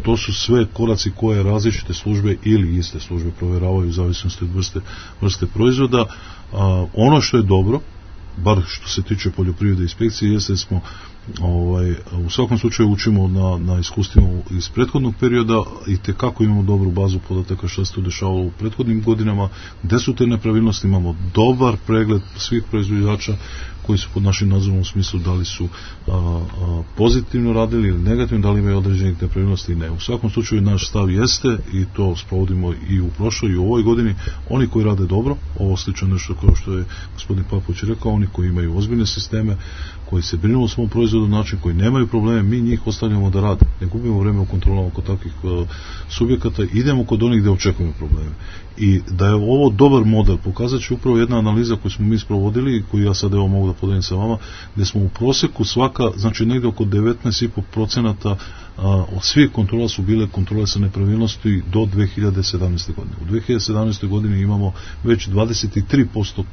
To su sve koraci koje različite službe ili iste službe provjeravaju u zavisnosti od vrste proizvoda. Ono što je dobro, bar što se tiče poljoprivrede inspekcije, jeste da smo U svakom slučaju učimo na iskustvima iz prethodnog perioda i tekako imamo dobru bazu podataka što se tu dešavalo u prethodnim godinama, gde su te nepravilnosti, imamo dobar pregled svih proizvođača koji su pod našim nadzorom u smislu da li su pozitivno radili ili negativno, da li imaju određenih nepravilnosti i ne. U svakom slučaju naš stav jeste, i to sprovodimo i u prošloj i u ovoj godini, oni koji rade dobro, ovo slično nešto kao što je gospodin Papović rekao, oni koji imaju ozbiljne sisteme, koji se brinu o svom proizvodu na način, koji nemaju probleme, mi njih ostavljamo da rade. Ne gubimo vreme u kontrolama kod takvih subjekata, idemo kod onih gde očekujemo probleme. I da je ovo dobar model, pokazat će upravo jedna analiza koju smo mi sprovodili i koju ja sad evo mogu da podelim sa vama, gde smo u proseku svaka, znači negde oko 19,5% od svih kontrola su bile kontrole sa nepravilnosti do 2017. godine. U 2017. godini imamo već 23%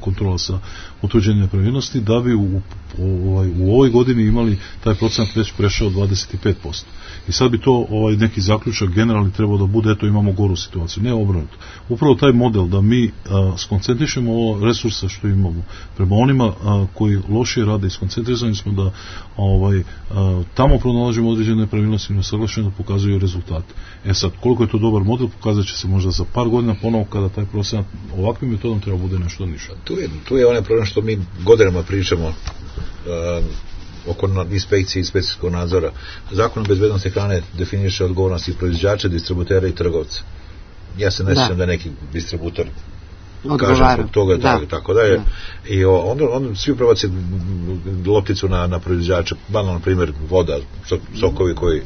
kontrola sa utvrđenjem nepravilnosti, da bi u ovoj godini imali taj procenat već prešao 25%. I sad bi to neki zaključak generalni trebao da bude, eto imamo goru situaciju, ne obrnuto. Upravo taj model da mi skoncentrišemo ovo resursa što imamo prema onima koji lošije rade i skoncentrizani smo da tamo pronalažemo određene nepravilnosti i nesaglašeno da pokazuju rezultate. Sad, koliko je to dobar model, pokazat će se možda za par godina ponovo kada taj procenat ovakvim metodom treba bude nešto niže. Tu je onaj problem što mi godinama pričamo oko inspekcije i inspekcijskog nadzora. Zakon o bezbednosti hrane definiše odgovornosti proizvođača, distributera i trgovca. Ja se ne sjećam da neki distributor kaže zbog toga, tako da je. I onda svi prebaci lopticu na proizvođača, banalno, na primjer, voda, sokovi koji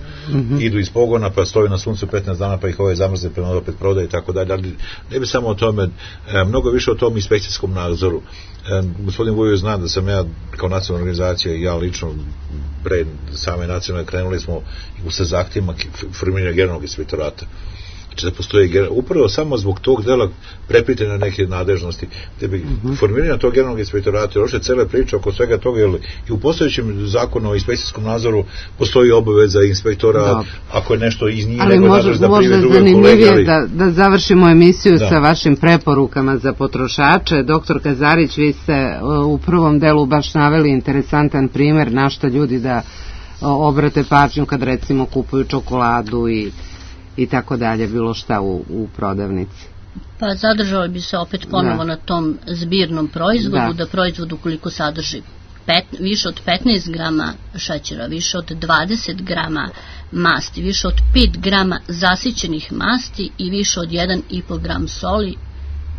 idu iz pogona, pa stoji na suncu 15 dana, pa ih zamrzne, prema opet prodaje i tako dalje. Ali ne bi samo o tome, mnogo više o tom inspekcijskom nadzoru. Gospodin Vujović zna da sam ja kao nacionalna organizacija i ja lično pre same nacionalne krenuli smo sa zahtjevima formiranja generalnog inspektorata. Znači da postoji upravo samo zbog tog dela prepite na neke nadležnosti, gde bi formiranje tog generalnog inspektorata, još je cele priče oko svega toga, jer i u postojećem zakonu o inspekcijskom nadzoru postoji obaveza inspektora, ako je nešto iz njih nego nadlež da prime druge kolege. Ali da završimo emisiju sa vašim preporukama za potrošače. Doktor Kazarić, vi ste u prvom delu baš naveli interesantan primer na šta ljudi da obrate pažnju kad recimo kupuju čokoladu i tako dalje, bilo šta u prodavnici. Pa zadržali bi se opet ponovo na tom zbirnom proizvodu, da proizvod ukoliko sadrži više od 15 grama šećera, više od 20 grama masti, više od 5 grama zasićenih masti i više od 1,5 gram soli,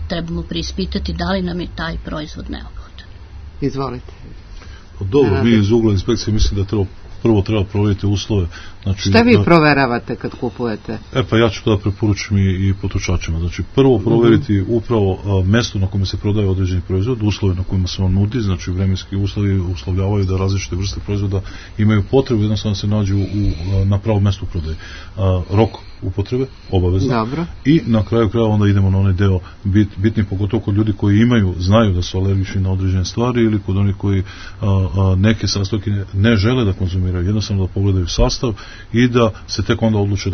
trebamo preispitati da li nam je taj proizvod neophodan. Izvolite. Dobro, mi iz ugla inspekcije mislim da prvo treba provjeriti uslove. Znači, šta vi proveravate kad kupujete? Pa ja ću to da preporučim i potrošačima. Znači, prvo provjeriti upravo mesto na kome se prodaje određeni proizvod, uslove na kojima se on nudi, znači vremenski uslovi uslovljavaju da različite vrste proizvoda imaju potrebu jednostavno se nađu na pravom mestu prodaje. Rok upotrebe, obavezno. Dobro. I na kraju kraja onda idemo na onaj deo bitni, pogotovo kod ljudi koji znaju da su alergični na određene stvari ili kod onih koji neke sastojke ne žele da konzumiraju, jednostavno da pogledaju sastav i da se tek onda odluče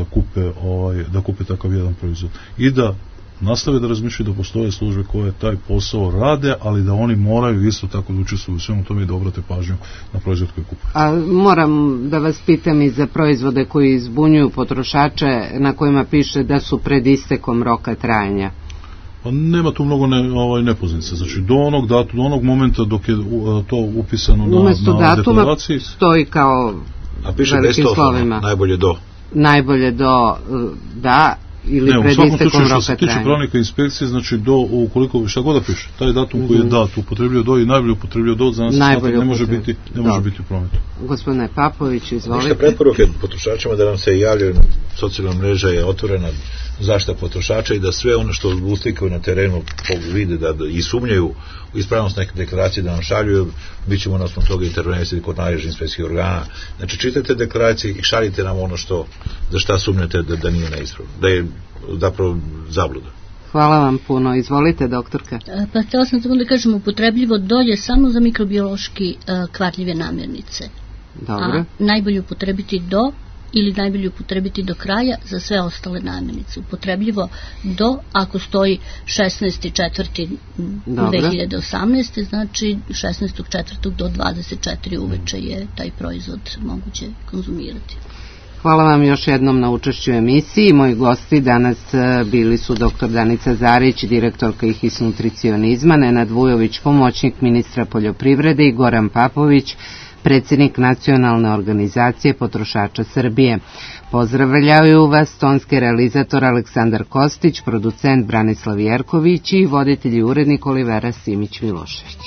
da kupe takav jedan proizvod. I da nastave da razmišljaju da postoje službe koje taj posao rade, ali da oni moraju isto tako da učestvuju u svemu tome i da obrate pažnju na proizvod koji kupuju. A moram da vas pitam i za proizvode koji zbunjuju potrošače na kojima piše da su pred istekom roka trajanja. Pa nema tu mnogo nepoznanica. Znači do onog momenta dok je to upisano na deklaraciji. Umesto datuma stoji kao velikim slovima. Najbolje do, da, ili pred istekom roka trajanja. Ne, u svakom slučaju što se tiče pravnika inspekcije, znači ukoliko šta god da piše, taj datum koji je dat, upotrebljio do i najbolje upotrebljio do, za nas ne može biti u prometu. Gospodine Papović, izvolite. Ništa preporuke potrošačima da nam se javljaju, socijalna mreža je otvorena, zaštita potrošača i da sve ono što uslikaju na terenu vide i sumnjaju u ispravnost neke deklaracije da nam šaljuju, bit ćemo na osnovu toga intervenisati kod nadležnih inspekcijskih organa. Znači čitajte deklaracije i šaljite nam ono za šta sumnjate da nije neispravno, da je zapravo zabluda. Hvala vam puno. Izvolite, doktorka. Pa htjela sam samo da kažem, upotrebljivo dolje samo za mikrobiološki kvarljive namirnice. Dobro. A najbolje upotrebiti do ili najbolje upotrebiti do kraja za sve ostale namirnice. Upotrebljivo do, ako stoji 16.4.2018. znači 16.4. do 24. uveče je taj proizvod moguće konzumirati. Hvala vam još jednom na učešću u emisiji. Moji gosti danas bili su dr. Danica Zarić, direktorka IHIS nutricionizma, Nenad Vujović, pomoćnik ministra poljoprivrede i Goran Papović, predsjednik Nacionalne organizacije potrošača Srbije. Pozdravljaju vas tonski realizator Aleksandar Kostić, producent Branislav Jerković i voditelj i urednik Olivera Simić-Milošević.